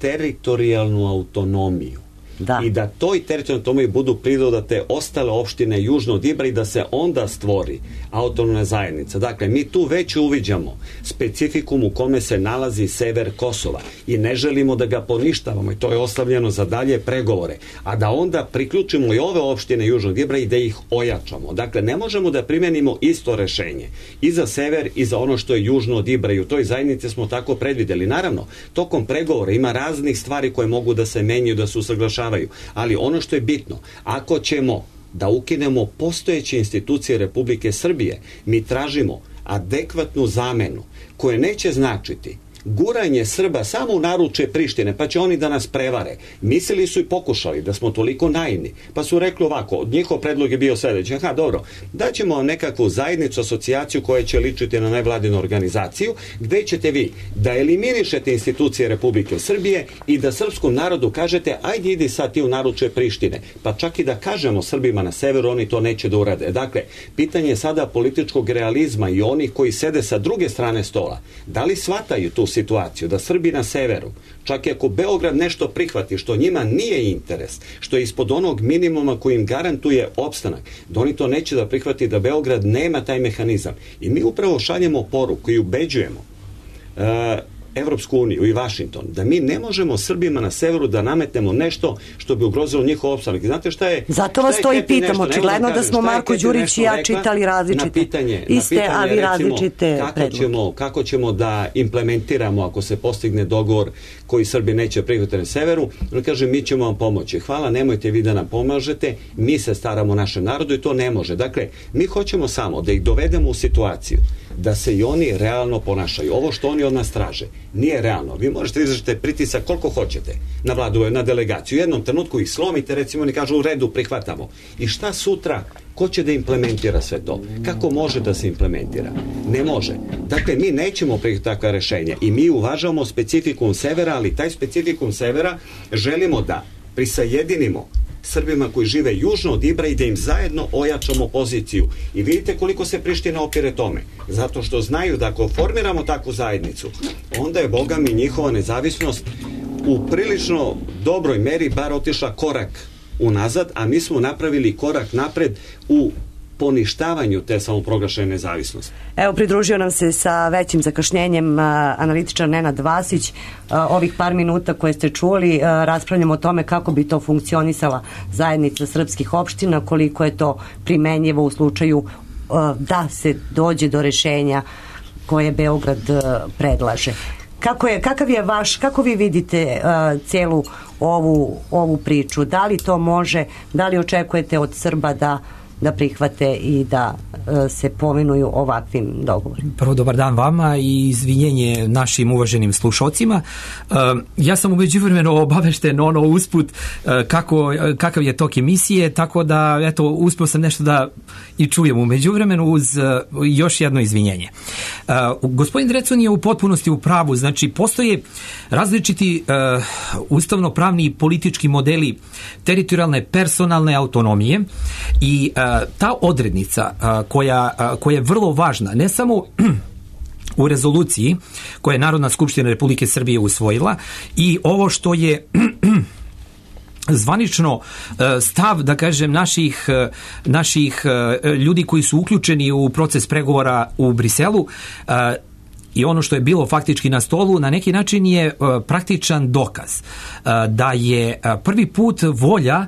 teritorijalnu autonomiju. Da. I da toj teritorijalnoj autonomiji budu pridodate ostale opštine južno od Ibra i da se onda stvori autonomna zajednica. Dakle, mi tu već uviđamo specifikum u kome se nalazi sever Kosova i ne želimo da ga poništavamo i to je ostavljeno za dalje pregovore. A da onda priključimo i ove opštine južno od Ibra i da ih ojačamo. Dakle, ne možemo da primenimo isto rešenje i za sever i za ono što je južno od Ibra i u toj zajednici smo tako predvideli. Naravno, tokom pregovora ima raznih stvari koje mogu da se menjaju, da se usaglašavaju. Ali ono što je bitno, ako ćemo da ukinemo postojeće institucije Republike Srbije, mi tražimo adekvatnu zamenu koja neće značiti guranje Srba samo u naručje Prištine, pa će oni da nas prevare. Mislili su i pokušali da smo toliko naivni, pa su rekli ovako, njihov predlog je bio sledeći, dobro, daćemo nekakvu zajednicu, asocijaciju koja će ličiti na nevladinu organizaciju, gde ćete vi da eliminišete institucije Republike Srbije i da srpskom narodu kažete, ajde idi sad ti u naručje Prištine, pa čak i da kažemo Srbima na severu, oni to neće da urade. Dakle, pitanje je sada političkog realizma i onih koji sede sa druge strane stola. Da li shvataju tu situaciju da Srbi na severu, čak i ako Beograd nešto prihvati što njima nije interes, što je ispod onog minimuma koji im garantuje opstanak, da oni to neće da prihvati, da Beograd nema taj mehanizam. I mi upravo šaljemo poruku i ubeđujemo Evropsku uniju i Vašington, da mi ne možemo Srbima na severu da nametnemo nešto što bi ugrozilo njihov opstanak. Znate šta je? Zato vas to i pitam, očigledno da smo Marko Đurić i ja čitali različite. Iste, a vi različite predloge. Kako ćemo da implementiramo ako se postigne dogovor koji Srbi neće prihvatiti na severu? On kaže, mi ćemo vam pomoći. Hvala, nemojte vi da nam pomažete, mi se staramo o našem narodu i to ne može. Dakle, mi hoćemo samo da ih dovedemo u situaciju da se i oni realno ponašaju. Ovo što oni od nas traže nije realno. Vi možete izvršiti pritisak koliko hoćete na vladu, na delegaciju. U jednom trenutku ih slomite, recimo oni kažu u redu, prihvatamo. I šta sutra? Ko će da implementira sve to? Kako može da se implementira? Ne može. Dakle, mi nećemo prihvatiti takva rešenja i mi uvažavamo specifikum severa, ali taj specifikum severa želimo da prisajedinimo Srbima koji žive južno od Ibra i da im zajedno ojačamo poziciju. I vidite koliko se Priština opire tome. Zato što znaju da ako formiramo takvu zajednicu, onda je, boga mi, njihova nezavisnost u prilično dobroj meri bar otišla korak unazad, a mi smo napravili korak napred u poništavanju te samoproglašene nezavisnosti. Evo, pridružio nam se sa većim zakašnjenjem analitičar Nenad Vasić. Ovih par minuta koje ste čuli, raspravljamo o tome kako bi to funkcionisala zajednica srpskih opština, koliko je to primenjivo u slučaju da se dođe do rešenja koje Beograd predlaže. Kako vi vidite celu ovu priču? Da li to može, da li očekujete od Srba da prihvate i da se povinuju ovakvim dogovorima? Prvo, dobar dan vama i izvinjenje našim uvaženim slušocima. Ja sam u međuvremenu obavešten usput kakav je tok emisije, tako da eto, uspio sam nešto da i čujem u međuvremenu uz još jedno izvinjenje. Gospodin Drecun je u potpunosti u pravu, znači postoje različiti ustavno-pravni i politički modeli teritorijalne personalne autonomije i ta odrednica koja je vrlo važna, ne samo u rezoluciji koje je Narodna skupština Republike Srbije usvojila i ovo što je zvanično stav, da kažem, naših ljudi koji su uključeni u proces pregovora u Briselu, i ono što je bilo faktički na stolu na neki način je praktičan dokaz da je prvi put volja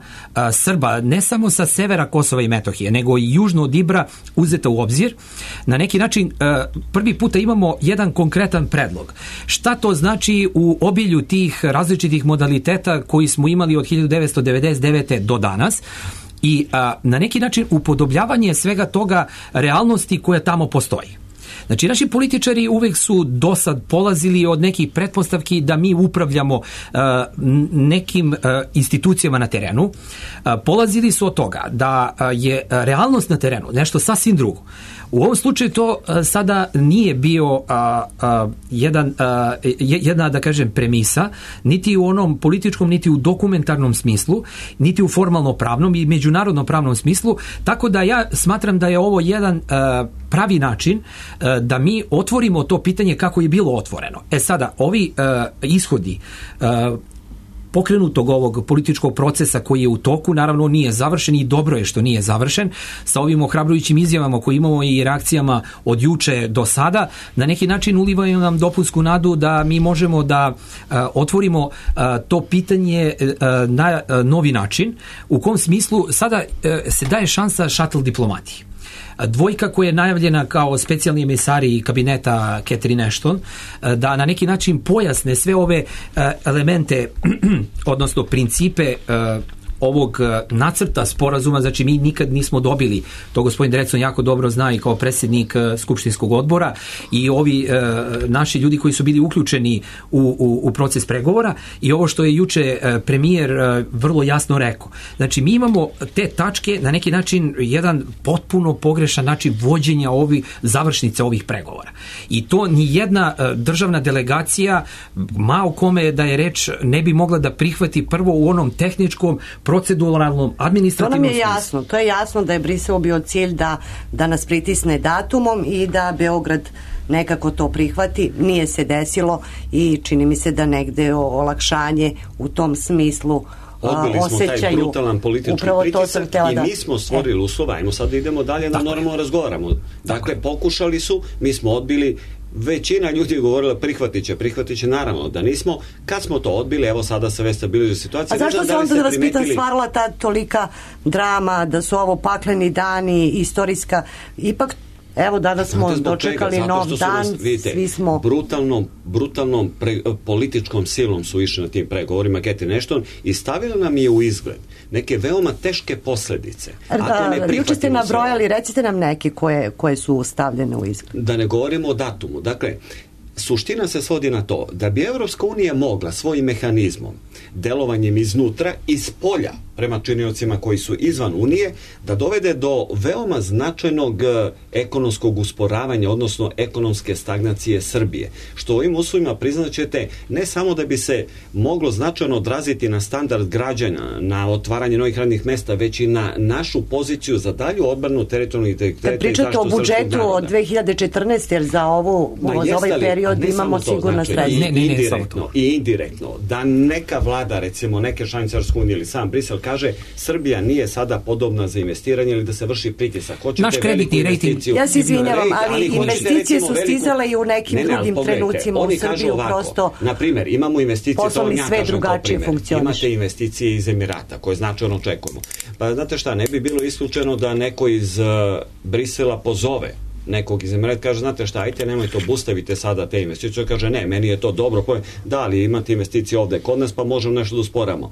Srba ne samo sa severa Kosova i Metohije, nego i južno od Ibra uzeta u obzir. Na neki način prvi puta imamo jedan konkretan predlog. Šta to znači u obilju tih različitih modaliteta koji smo imali od 1999. do danas? I na neki način upodobljavanje svega toga realnosti koja tamo postoji. Znači, naši političari uvek su dosad polazili od nekih pretpostavki da mi upravljamo nekim institucijama na terenu. Polazili su od toga da je realnost na terenu nešto sasvim drugo. U ovom slučaju to sada nije bio jedna, da kažem, premisa, niti u onom političkom, niti u dokumentarnom smislu, niti u formalno pravnom i međunarodno pravnom smislu, tako da ja smatram da je ovo jedan pravi način da mi otvorimo to pitanje kako je bilo otvoreno. Sada, ovi ishodi pokrenutog ovog političkog procesa koji je u toku, naravno nije završen i dobro je što nije završen, sa ovim ohrabrujućim izjavama koje imamo i reakcijama od juče do sada, na neki način ulivaju nam dopunsku nadu da mi možemo da otvorimo to pitanje na novi način, u kom smislu sada se daje šansa šatl diplomatiji. Dvojka koja je najavljena kao specijalni emisari kabineta Catherine Ashton, da na neki način pojasne sve ove elemente, odnosno principe ovog nacrta sporazuma, znači mi nikad nismo dobili, to gospodin Drecun jako dobro zna i kao predsjednik skupštinskog odbora i ovi naši ljudi koji su bili uključeni u proces pregovora i ovo što je juče premijer vrlo jasno rekao. Znači mi imamo te tačke na neki način jedan potpuno pogrešan način vođenja završnice ovih pregovora. I to ni jedna državna delegacija, ma o kome da je reč, ne bi mogla da prihvati prvo u onom tehničkom, proceduralnom, administrativnom smislu. To nam je jasno. To je jasno da je Brisel bio cilj da nas pritisne datumom i da Beograd nekako to prihvati. Nije se desilo i čini mi se da negde olakšanje u tom smislu odbili smo taj brutalan politički pritisak i mi smo stvorili uslova. Ajmo sad idemo dalje da normalno razgovaramo. Dakle, pokušali su, mi smo odbili. Većina ljudi je govorila prihvatit će, naravno da nismo. Kad smo to odbili, evo sada se već stabilizuje situacija. A zašto se onda, da vas pitam, stvarala ta tolika drama, da su ovo pakleni dani, istorijska, ipak evo danas smo dočekali nov dan, svi smo brutalnom političkom silom su išli na tim pregovorima Catherine Ashton i stavila nam je u izgled neke veoma teške posljedice. Juče ste nabrojali, recite nam neke koje su stavljene u izgled. Da ne govorimo o datumu. Dakle, suština se svodi na to da bi Evropska unija mogla svojim mehanizmom, delovanjem iznutra, iz polja prema činiocima koji su izvan Unije, da dovede do veoma značajnog ekonomskog usporavanja, odnosno ekonomske stagnacije Srbije. Što ovim uslovima priznaćete ne samo da bi se moglo značajno odraziti na standard građana, na otvaranje novih radnih mesta, već i na našu poziciju za dalju odbranu teritorijalnog integriteta i zaštitu srpskog naroda. Kad pričate o budžetu od 2014, jer za ovaj period imamo sigurna sredstva. I indirektno, da neka vlada, recimo neke članice Evropske unije ili sam Brisel kaže Srbija nije sada podobna za investiranje ili da se vrši pritisak. Naš kreditni rating. Ja se izvinjavam, ali investicije su stizale i u nekim drugim trenucima u Srbiju prosto. Na primjer, imamo investicije, poslovni sve drugačije funkcioniše. Imate investicije iz Emirata koje značajno očekujemo. Pa znate šta, ne bi bilo isključeno da neko iz Brisela pozove nekog iz Emirata, kaže, znate šta, ajte, nemojte, obustavite sada te investicije. Kaže, ne, meni je to dobro. Da, ali imate investicije ovde kod nas, pa možemo nešto da usporamo.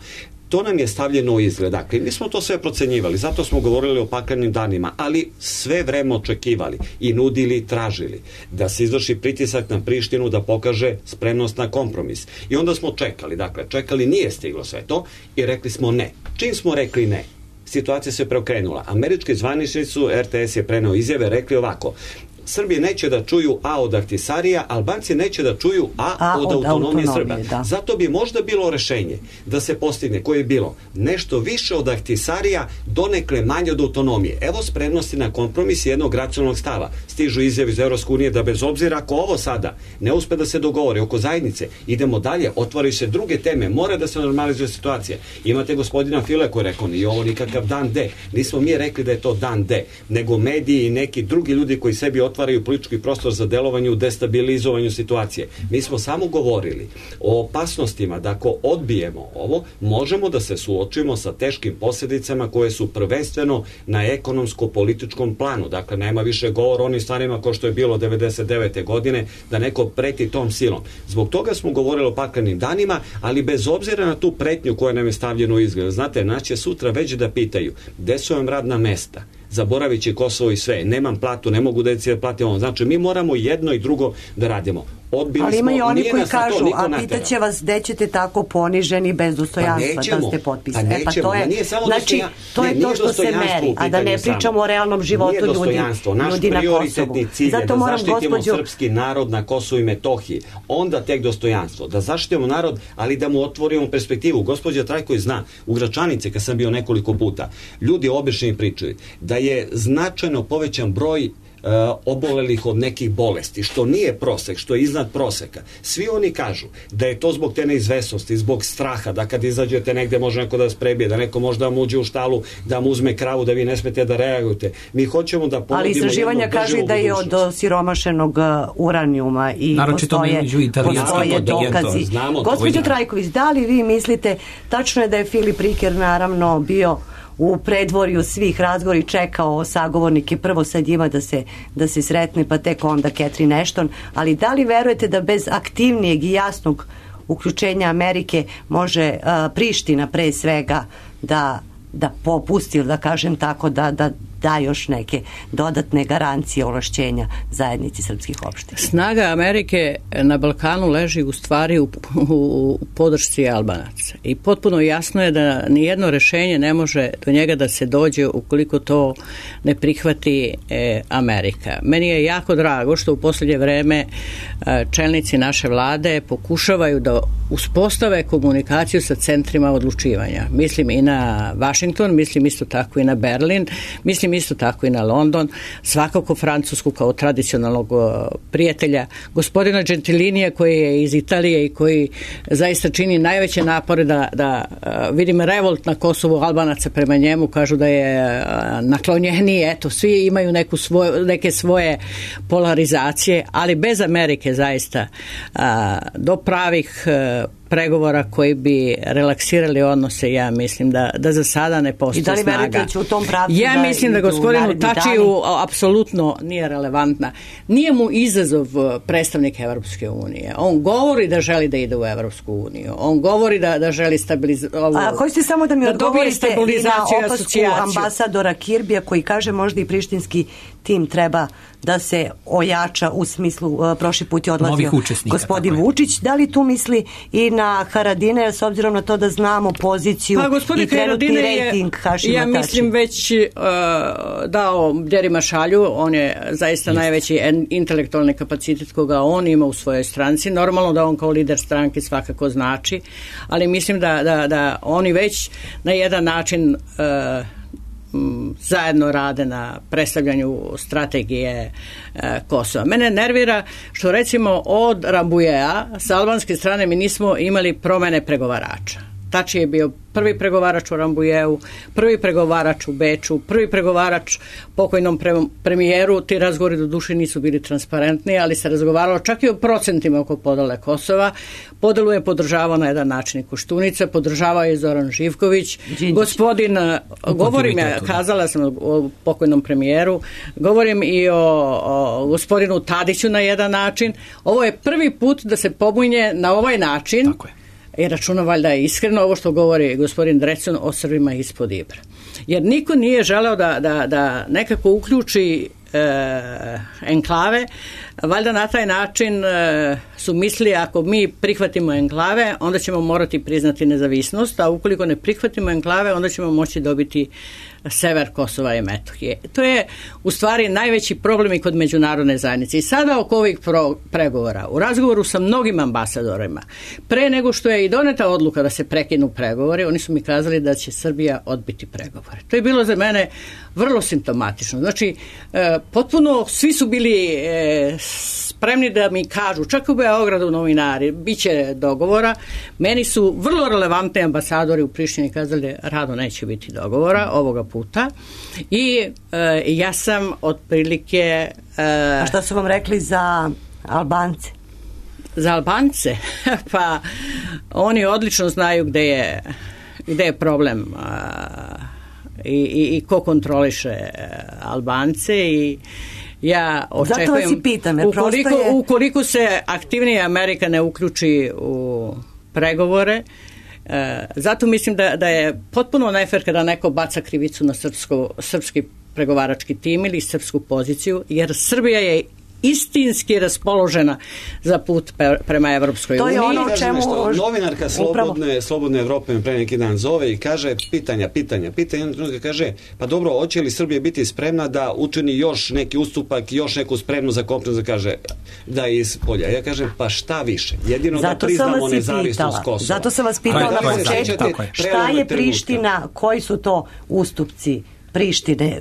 To nam je stavljeno u izgled. Dakle, mi smo to sve procenjivali, zato smo govorili o paklenim danima, ali sve vreme očekivali i nudili, tražili da se izvrši pritisak na Prištinu da pokaže spremnost na kompromis. I onda smo čekali, nije stiglo sve to i rekli smo ne. Čim smo rekli ne, situacija se preokrenula. Američki zvaničnici, RTS je preneo izjave, rekli ovako: Srbi neće da čuju A od Ahtisarija, Albanci neće da čuju A od autonomije Srba. Da. Zato bi možda bilo rešenje da se postigne, koje je bilo nešto više od Ahtisarija, donekle manje od autonomije. Evo spremnosti na kompromis jednog racionalnog stava. Stižu izjavi iz Evropske unije da bez obzira ako ovo sada ne uspe da se dogovori oko zajednice, idemo dalje, otvaraju se druge teme, mora da se normalizuje situacija. Imate gospodina File koji je rekao, nije ovo nikakav dan D. Nismo mi rekli da je to dan D, nego mediji i neki drugi ljudi koji sebi otvaraju politički prostor za delovanje u destabilizovanju situacije. Mi smo samo govorili o opasnostima da ako odbijemo ovo, možemo da se suočimo sa teškim posljedicama koje su prvenstveno na ekonomsko-političkom planu. Dakle, nema više govora o onim stvarima kao što je bilo 99. godine, da neko preti tom silom. Zbog toga smo govorili o paklenim danima, ali bez obzira na tu pretnju koja nam je stavljena u izgled. Znate, nas će sutra već da pitaju gde su vam radna mesta, zaboravit će Kosovo i sve, nemam platu, ne mogu deci da platim ovo. Znači, mi moramo jedno i drugo da radimo. Ali ima i oni koji kažu, a pitaće vas gde ćete tako poniženi bez dostojanstva da ste potpisani. To je to što se meri, a da ne pričamo o realnom životu ljudi na Kosovu. Naš prioritetni cilj je da zaštitimo srpski narod na Kosovu i Metohiji. Onda tek dostojanstvo. Da zaštitimo narod, ali da mu otvorimo perspektivu. Gospođa Trajković zna, u Gračanici, kad sam bio nekoliko puta, ljudi obično pričaju da je značajno povećan broj obolelih od nekih bolesti, što nije prosek, što je iznad proseka. Svi oni kažu da je to zbog te neizvesnosti, zbog straha, da kad izađete negde može neko da vas prebije, da neko može da vam uđe u štalu, da vam uzme kravu, da vi ne smete da reagujete. Mi hoćemo da ponudimo. Ali istraživanja kažu da je od siromašenog uranijuma i postoje dokazi. Gospođo Trajković, da li vi mislite, tačno je da je Filip Riker naravno bio u predvorju svih razgovora i čekao sagovornike prvo sa njima da se sretne, pa tek onda Catherine Ashton, ali da li verujete da bez aktivnijeg i jasnog uključenja Amerike može Priština pre svega da popusti, da kažem tako, da još neke dodatne garancije ovlašćenja zajednici srpskih opština? Snaga Amerike na Balkanu leži u stvari u podršci Albanaca i potpuno jasno je da nijedno rešenje ne može do njega da se dođe ukoliko to ne prihvati Amerika. Meni je jako drago što u posljednje vreme čelnici naše vlade pokušavaju da uspostave komunikaciju sa centrima odlučivanja. Mislim i na Washington, mislim isto tako i na Berlin, mislim isto tako i na London, svakako Francusku kao tradicionalnog prijatelja, gospodina Gentilinija koji je iz Italije i koji zaista čini najveće napore da vidim revolt na Kosovu Albanaca prema njemu, kažu da je naklonjeniji, eto, svi imaju neke svoje polarizacije, ali bez Amerike zaista do pravih pregovora koji bi relaksirali odnose, ja mislim da za sada ne postoji snaga. I da li verujete da će u tom pravcu ja mislim da gospodinu Tačiju apsolutno nije relevantna. Nije mu izazov predstavnik Evropske unije. On govori da želi da ide u Evropsku uniju. On govori da želi stabilizaciju. A hoćete samo da mi odgovorite i na opasku ambasadora Kirbija koji kaže možda i prištinski tim treba da se ojača u smislu, prošli put je odlazio gospodin Vučić. Da li tu misli i na Haradine, s obzirom na to da znamo poziciju i trenutni rejting Hašima Tači? Ja mislim već dao Bjerima Šalju, on je zaista najveći intelektualni kapacitet koga on ima u svojoj stranci. Normalno da on kao lider stranke svakako znači, ali mislim da oni već na jedan način zajedno rade na predstavljanju strategije Kosova. Mene nervira što recimo od Rambujea sa albanske strane mi nismo imali promene pregovarača. Tači je bio prvi pregovarač u Rambujeu, prvi pregovarač u Beču, prvi pregovarač pokojnom premijeru. Ti razgovori do duše nisu bili transparentni, ali se razgovaralo čak i o procentima oko podele Kosova. Podelu je podržavao na jedan način i Koštunica, podržavao je Zoran Živković. Gospodin, govorim ja, kazala sam o pokojnom premijeru, govorim i o gospodinu Tadiću na jedan način. Ovo je prvi put da se pobunje na ovaj način. Tako je. I računa valjda je iskreno ovo što govori gospodin Drecun o Srbima ispod Ibra. Jer niko nije želeo da nekako uključi enklave, valjda na taj način su mislili ako mi prihvatimo enklave, onda ćemo morati priznati nezavisnost, a ukoliko ne prihvatimo enklave, onda ćemo moći dobiti sever Kosova i Metohije. To je u stvari najveći problem i kod međunarodne zajednice. I sada oko ovih pregovora, u razgovoru sa mnogim ambasadorima, pre nego što je i doneta odluka da se prekinu pregovori, oni su mi kazali da će Srbija odbiti pregovore. To je bilo za mene vrlo simptomatično. Znači, potpuno svi su bili spremni da mi kažu, čak u Beogradu novinari, bit će dogovora. Meni su vrlo relevantni ambasadori u Prištini kazali rado neće biti dogovora ovoga puta. I ja sam otprilike... A šta su vam rekli za Albance? Za Albance? Pa oni odlično znaju gde je problem i ko kontroliše Albance i ja očekujem... Zato vas i pitam, ukoliko se aktivnije Amerika ne uključi u pregovore, zato mislim da je potpuno nefer kada neko baca krivicu na srpski pregovarački tim ili srpsku poziciju, jer Srbija je istinski raspoložena za put prema Evropskoj uniji. To je ono o čemu... Novinarka Slobodne Evrope me pre neki dan zove i kaže pitanja. Onda kaže, pa dobro, hoće li Srbija biti spremna da učini još neki ustupak, još neku spremnu za kopnu, kaže da je iz polja. Ja kažem, pa šta više? Jedino da priznamo nezavisnost Kosova. Zato sam vas pitala na početku, šta je Priština, koji su to ustupci Prištine.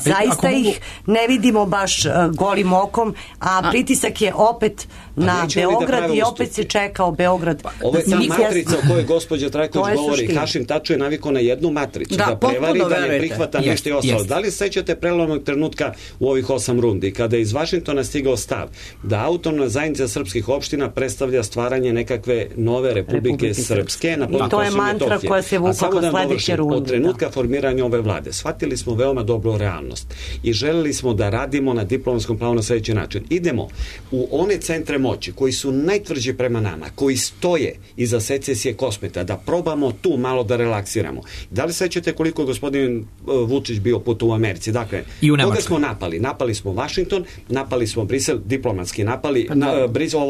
Zaista ih ne vidimo baš golim okom, a pritisak je opet na Beograd i opet se čekao Beograd. Ovo je ta matrica o kojoj gospođa Trajković govori. Hašim Taču je navikao na jednu matricu. Da prevari, da ne prihvata nešto i ostalo. Da li sećate prelomnog trenutka u ovih 8 rundi, kada je iz Vašingtona stigao stav da autonomna zajednica srpskih opština predstavlja stvaranje nekakve nove Republike Srpske na području Kosova i Metohije. To je mantra koja se vukla kod sledeće runde. Od trenutka formiranja ove vlade shvatili smo veoma dobro realnost i želeli smo da radimo na diplomatskom planu na sljedeći način. Idemo u one centre moći koji su najtvrđi prema nama, koji stoje iza secesije Kosmeta, da probamo tu malo da relaksiramo. Da li sećate koliko je gospodin Vučić bio put u Americi? Dakle, koga smo napali? Napali smo Washington, napali smo Brisel, diplomatski napali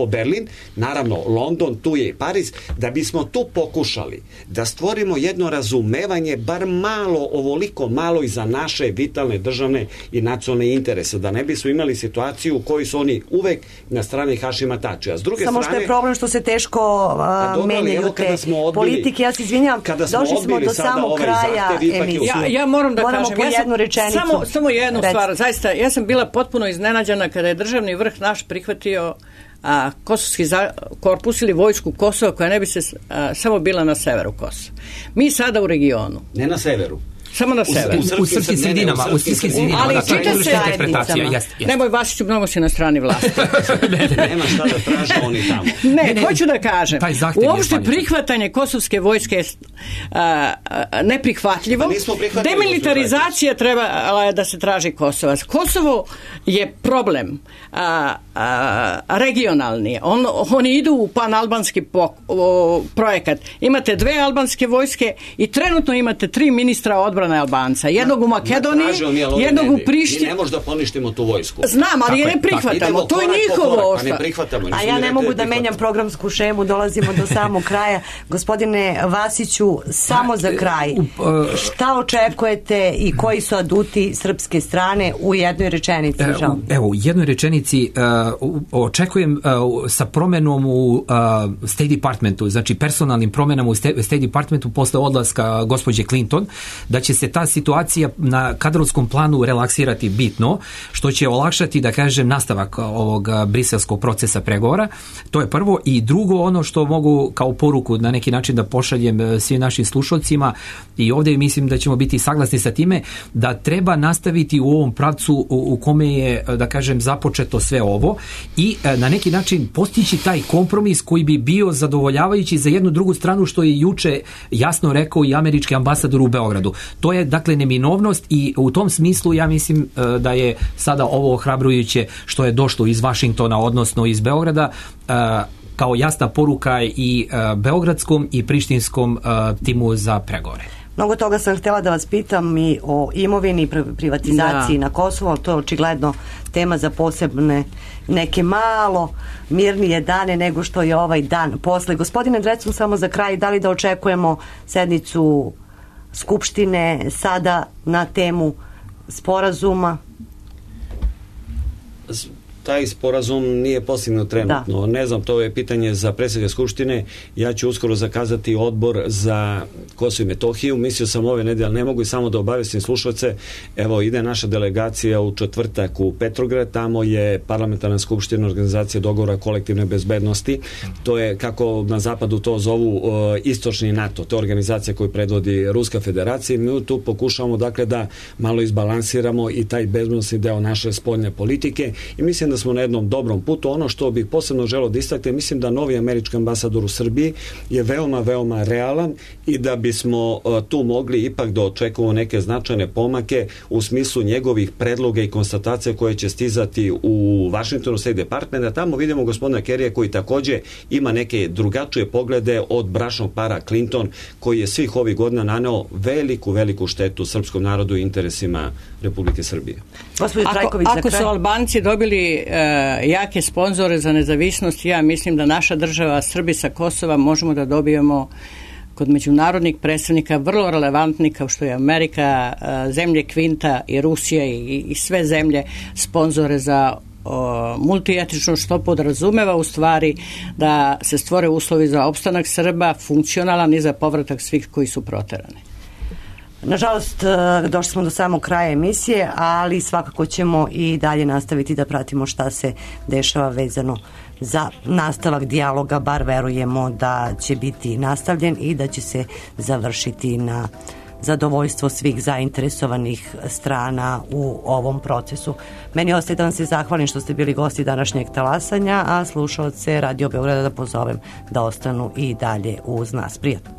Berlin, naravno London, tu je i Pariz, da bismo tu pokušali da stvorimo jedno razumevanje, bar malo, ovoliko malo i za naše vitalne državne i nacionalne interese, da ne bismo imali situaciju u kojoj su oni uvek na strani Hašima Tačija. S druge samo strane, što je problem što se teško menjaju te politike. Ja se izvinjam, došli smo do samog kraja emisije. Ja moram da kažem, po jednu rečenicu. Samo jednu stvar. Zaista, ja sam bila potpuno iznenađena kada je državni vrh naš prihvatio kosovski korpus ili vojsku Kosova koja ne bi se samo bila na severu Kosova. Mi sada u regionu. Ne na severu. Samo na sever. U srpskim sredinama. Ali čita se interpretacija. Nemoj, Vasiću, mnogo si na strani vlasti. Nema šta da traže oni tamo. Ne, hoću da kažem, uopšte prihvatanje kosovske vojske je neprihvatljivo. Demilitarizacija trebala je da se traži Kosovac. Kosovo je problem regionalni. Oni idu u panalbanski projekat. Imate 2 albanske vojske i trenutno imate 3 ministra odbrane Albanca. Jednog u Makedoniji, jednog u Prištini. Mi ne možemo da poništimo tu vojsku. Znam, ali je ne prihvatamo. To je njihovo. A ja ne mogu da menjam programsku šemu, dolazimo do samog kraja. Gospodine Vasiću, samo za kraj. Šta očekujete i koji su aduti srpske strane u jednoj rečenici? Evo, u jednoj rečenici očekujem sa promenom u State Departmentu, znači personalnim promenama u State Departmentu posle odlaska gospođe Clinton, da će se ta situacija na kadrovskom planu relaksirati bitno, što će olakšati, da kažem, nastavak ovog briselskog procesa pregovora. To je prvo. I drugo, ono što mogu kao poruku na neki način da pošaljem svim našim slušalcima, i ovdje mislim da ćemo biti saglasni sa time, da treba nastaviti u ovom pravcu u kome je, da kažem, započeto sve ovo i na neki način postići taj kompromis koji bi bio zadovoljavajući za jednu drugu stranu, što je juče jasno rekao i američki ambasador u Beogradu. To je, dakle, neminovnost i u tom smislu ja mislim da je sada ovo ohrabrujuće što je došlo iz Vašingtona, odnosno iz Beograda, kao jasna poruka i beogradskom i prištinskom timu za pregovore. Mnogo toga sam htjela da vas pitam i o imovini i privatizaciji na Kosovu, ali to je očigledno tema za posebne neke malo mirnije dane nego što je ovaj dan posle. Gospodine Drecun, samo za kraj, da li da očekujemo sednicu Skupštine sada na temu sporazuma? Taj sporazum nije postignut trenutno. Da. Ne znam, to je pitanje za predsjednika Skupštine. Ja ću uskoro zakazati odbor za Kosovo i Metohiju. Mislio sam ove nedelje, ne mogu i samo da obavestim slušalce. Evo, ide naša delegacija u četvrtak u Petrograd. Tamo je parlamentarna skupština organizacije dogovora kolektivne bezbednosti. To je, kako na zapadu to zovu, istočni NATO. To je organizacija koju predvodi Ruska federacija. Mi tu pokušavamo, dakle, da malo izbalansiramo i taj bezbednosni deo naše spoljne politike. I mislim da smo na jednom dobrom putu. Ono što bih posebno želeo da istaknem, mislim da novi američki ambasador u Srbiji je veoma, veoma realan i da bismo tu mogli ipak da očekujemo neke značajne pomake u smislu njegovih predloga i konstatacija koje će stizati u Washingtonu State Department. Tamo vidimo gospodina Kerrya koji takođe ima neke drugačije poglede od bračnog para Clinton, koji je svih ovih godina naneo veliku, veliku štetu srpskom narodu i interesima Republike Srbije. Ako su Albanci dobili jake sponzore za nezavisnost, ja mislim da naša država, Srbi sa Kosova, možemo da dobijemo kod međunarodnih predstavnika vrlo relevantni, kao što je Amerika, zemlje Kvinta i Rusija i sve zemlje, sponzore za multietično, što podrazumeva u stvari da se stvore uslovi za opstanak Srba, funkcionalan i za povratak svih koji su proterani. Nažalost, došli smo do samog kraja emisije, ali svakako ćemo i dalje nastaviti da pratimo šta se dešava vezano za nastavak dijaloga, bar verujemo da će biti nastavljen i da će se završiti na zadovoljstvo svih zainteresovanih strana u ovom procesu. Meni ostaje da vam se zahvalim što ste bili gosti današnjeg talasanja, a slušalce Radio Beograda da pozovem da ostanu i dalje uz nas. Prijatno.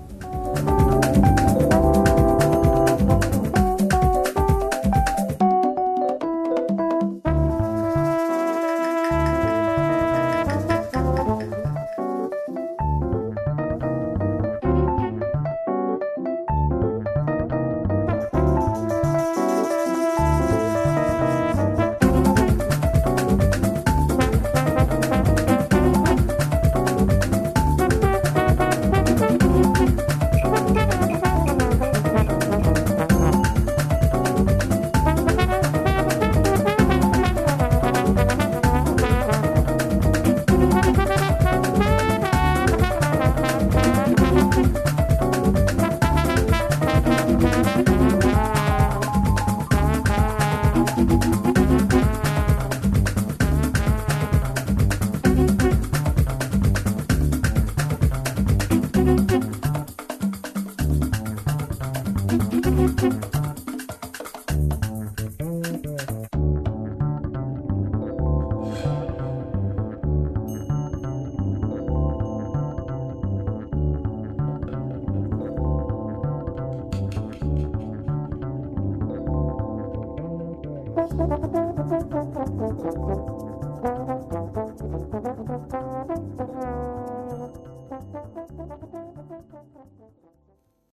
Thank you.